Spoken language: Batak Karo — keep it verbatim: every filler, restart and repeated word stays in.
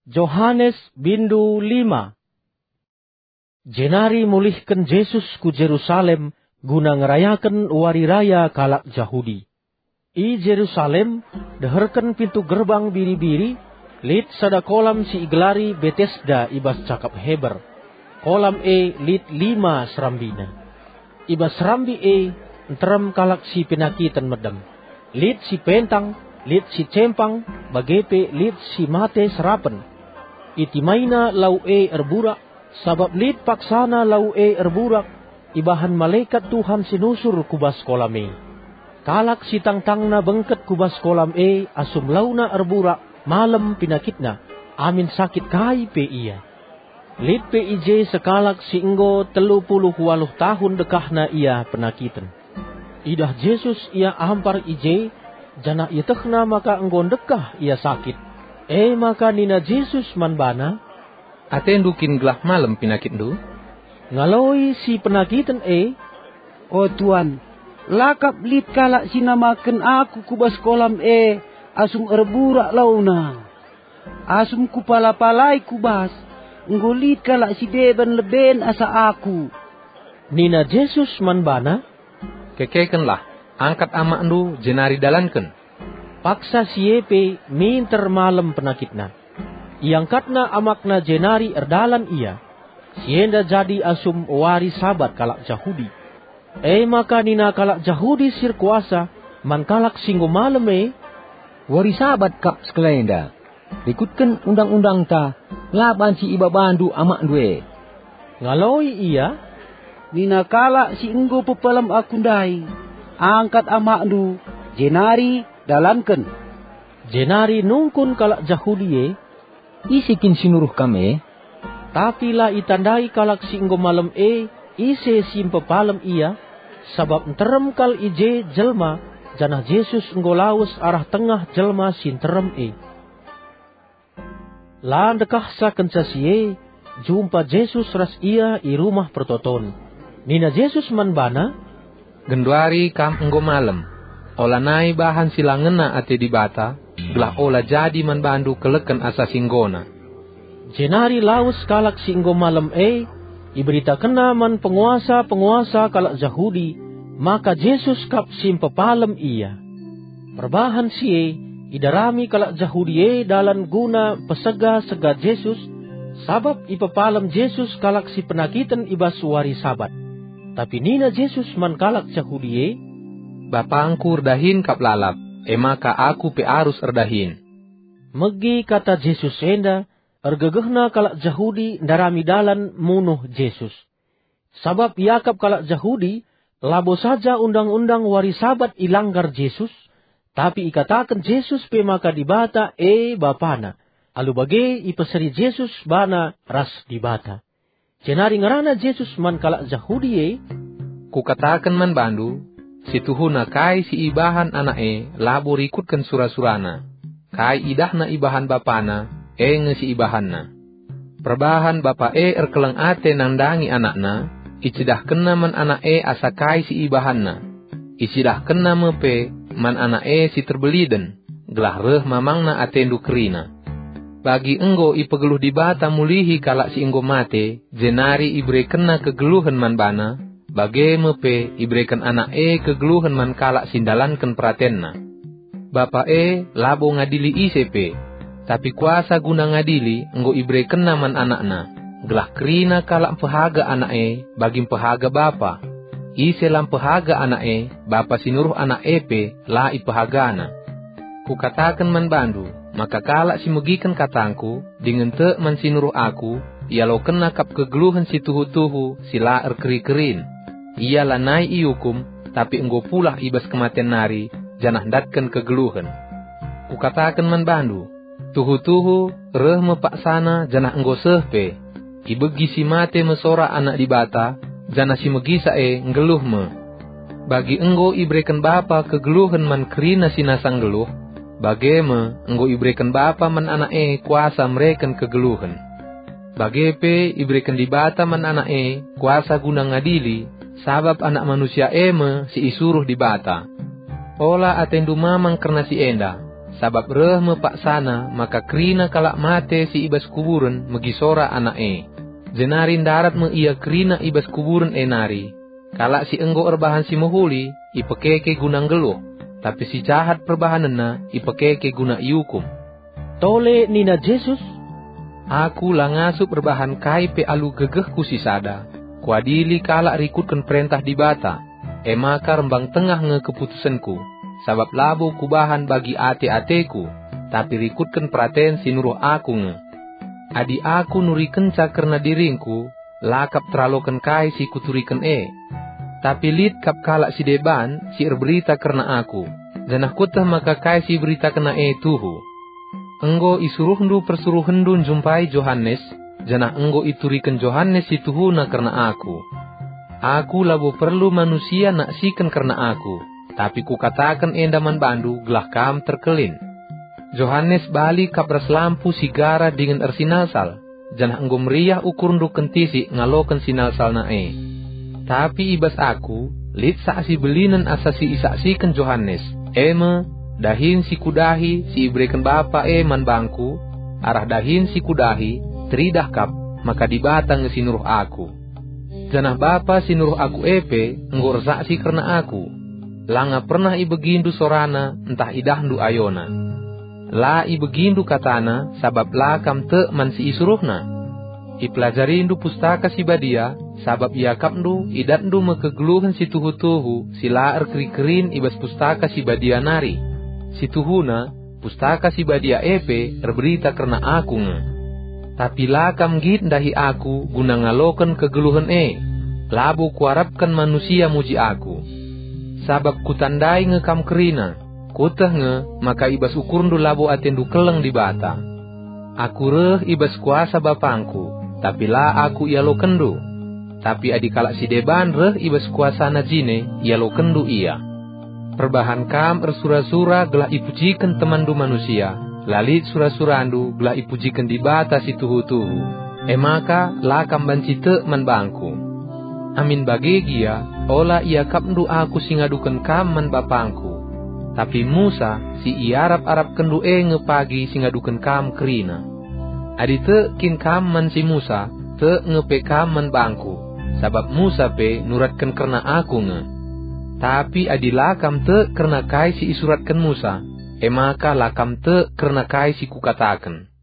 Johanes bindu lima. Jenari mulihken Jesus ku Jerusalem guna ngerayaken wari raya kalak Jahudi. I Jerusalem, deherken pintu gerbang biri-biri, lit sada kolam si igelari Betesda i bas cakap Heber. Kolam e lit lima serambina. I bas serambi e nterem kalak si penakiten medem. Lit si pentang, lit si cempang, bage pe lit si mate serapen. Itimaina lau e erburak, sabap lit paksana lau e erburak, ibahan malekat Tuhan si nusur ku bas kolam e. Kalak si tangtangna bengket ku bas kolam e asum launa erburak, malem penakitna, amin sakit kai pe ia. Lit pe i je sekalak si enggo telu puluh waluh tahun dekahna ia penakiten. Idah Jesus ia ampar i je, janah ietehna maka enggo ndekah ia sakit. E maka nina Jesus man bana, "Atendu kin gelah malem penakitndu?" Ngaloi si penakiten e, "O Tuan, la kap lit kalak si namaken aku ku bas kolam e asum erburak launa. Asum kupala-palai ku bas, enggo lit kalak si deban leben asa aku." Nina Jesus man bana, "Kekekenlah, angkat amakndu jenari dalanken." Paksa si e pe minter malem penakitna. Iangkatna amakna jenari erdalan ia. Si enda jadi asum wari Sabat kalak Jahudi. E maka nina kalak Jahudi si erkuasa man kalak si enggo malem e, "Wari Sabat kap sekalenda. Rikutken undang-undangta, la banci ibabandu amakndu e." Ngaloi ia, "Nina kalak si enggo pepalem aku ndai, 'Angkat amakndu, jenari dalanken.'" Jenari nungkun kalak Jahudi e, "Ise kin si nuruh kam e?" Tapi la itandai kalak si enggo malem e ise si mpepalem ia, sabap nterem kal i je jelma, janah Jesus enggo lawes arah tengah jelma si nterem e. La ndekahsa kenca si e, jumpa Jesus ras ia i Rumah Pertoton. Nina Jesus man bana, "Genduari kam enggo malem. Olanai bahan si la ngena ate Dibata, gelah ola jadi man bandu keleken asa si enggona." Jenari lawes kalak si enggo malem e, iberitakenna man penguasa-penguasa kalak Jahudi maka Jesus kap si mpepalem ia. Perbahan si e, idarami kalak Jahudi e dalan guna pesega-sega Jesus, sabap ipepalem Jesus kalak si penakiten i bas wari Sabat. Tapi nina Jesus man kalak Jahudi e, "BapangKu erdahin kap lalap, e maka Aku pe arus erdahin." Megi kata Jesus enda, ergegehna kalak Jahudi ndarami dalan munuh Jesus. Sabap iakap kalak Jahudi, labo saja undang-undang wari Sabat ilanggar Jesus, tapi ikataken Jesus pe maka Dibata e Bapana. Alu bage ipeseri Jesus bana ras Dibata. Jenari ngerana Jesus man kalak Jahudi e, "Kukataken man bandu, si tuhuna kai si ibahan anak e labo rikutken sura-surana. Kai idahna ibahan bapana, e nge si ibahanna. Perbahan bapa e erkeleng ate nandangi anakna, icidahkenna man anak e asa kai si ibahanna. Icidahkenna me pe man anak e si terbeliden, gelah reh mamangna atendu kerina. Bagi enggo ipegeluh Dibata mulihi kalak si enggo mate, jenari iberekenNa kegeluhen man bana, bage me pe ibereken Anak e kegeluhen man kalak si ndalanken peratenNa. Bapa e labo ngadili ise pe, tapi kuasa guna ngadili enggo iberekenNa man AnakNa, gelah kerina kalak mpehaga Anak e bagi mpehaga Bapa. Ise la mpehaga Anak e, Bapa si nuruh Anak e pe la ipehagana. Kukataken man bandu, maka kalak si megiken katangKu, dingen tek man si nuruh Aku, ialokenna kap kegeluhen si tuhu-tuhu si la erkeri-kerin. Ia lanai iukum, tapi enggo pulah i bas kematen nari, janah ndatken kegeluhen. Kukataken man bandu, tuhu-tuhu reh me paksana janah enggo seh pe. Ibegi si mate me sora Anak Dibata, janah si megisa e nggeluh me. Bagi enggo ibereken Bapa kegeluhen man kerina si nasa nggeluh, bage me enggo ibereken Bapa man Anak e kuasa mereken kegeluhen. Bage pe ibereken Dibata man Anak e kuasa guna ngadili, sabap Anak Manusia e me si isuruh Dibata. Ola atendu mamang kerna si enda. sabap reh me paksana maka kerina kalak mate si i bas kuburen megi sora anak e. Jenari ndarat me ia kerina i bas kuburen e nari. Kalak si enggo erbahan si mehuli ipekeke guna nggeluh, tapi si jahat perbahanenna ipekeke guna iukum. Tole nina Jesus, "Aku la ngasup erbahan kai pe alu gegehku si sada. Kuadili kalak rikutken perentah Dibata, e maka rembang tengah nge keputusenku, sabap labo kubahan bagi ate-ateku, tapi rikutken peraten si nuruh aku nge. Adi aku nurikenca kerna diringku, la kap teraloken kai si kuturiken e. Tapi lit kap kalak si deban si erberita kerna aku, janah kueteh maka kai si iberitakenna e tuhu. Enggo isuruhndu persuruhenndu njumpai Johanes, janah enggo ituriken Johanes si tuhuna kerna aku. Aku labo perlu manusia naksiken kerna aku, tapi kukataken enda man bandu gelah kam terkelin. Johanes bali kap ras lampu si gara dingen ersinalsal, janah enggo meriah ukurndu kentisik ngaloken sinalsalna e. Tapi i bas aku, lit saksi belinen asa si isaksiken Johanes, e me, dahin si kudahi si ibereken Bapa e man bangku, arah dahin si kudahi, teridah kap, maka Dibata nge si nuruh aku. Janah Bapa si nuruh aku e pe enggo ersaksi kerna aku. Langa pernah ibegindu sorana ntah idahndu ayona. La ibegindu katana sabap la kam tek man si isuruhna. Ipelajarindu Pustaka Si Badia, sabap iakapndu idatndu me kegeluhen si tuhu-tuhu si la erkeri-kerin i bas Pustaka Si Badia nari. Si tuhuna, Pustaka Si Badia e pe erberita kerna aku nge. Tapi la kam nggit ndahi aku guna ngaloken kegeluhen e. Labo kuarapken manusia muji aku. Sabap kutandai nge kam kerina, kueteh nge maka i bas ukurndu labo atendu keleng Dibata. Aku reh i bas kuasa Bapangku, tapi la aku ialokenndu. Tapi adi kalak si deban reh i bas kuasana jine, ialokenndu ia. Perbahan kam ersura-sura gelah ipujiken temanndu manusia, la lit sura-surandu gelah ipujiken Dibata si tuhu-tuhu, e maka la kam banci tek man bangku. Amin bage gia, ola iakapndu aku si ngaduken kam man Bapangku. Tapi Musa, si iarap-arapkenndu e nge pagi si ngaduken kam kerina. Adi tek kin kam man si Musa, tek nge pe kam man bangku, sabap Musa pe nuratken kerna aku nge. Tapi adi la kam tek kerna kai si isuratken Musa, e maka la kam tek kerna kai si kukataken.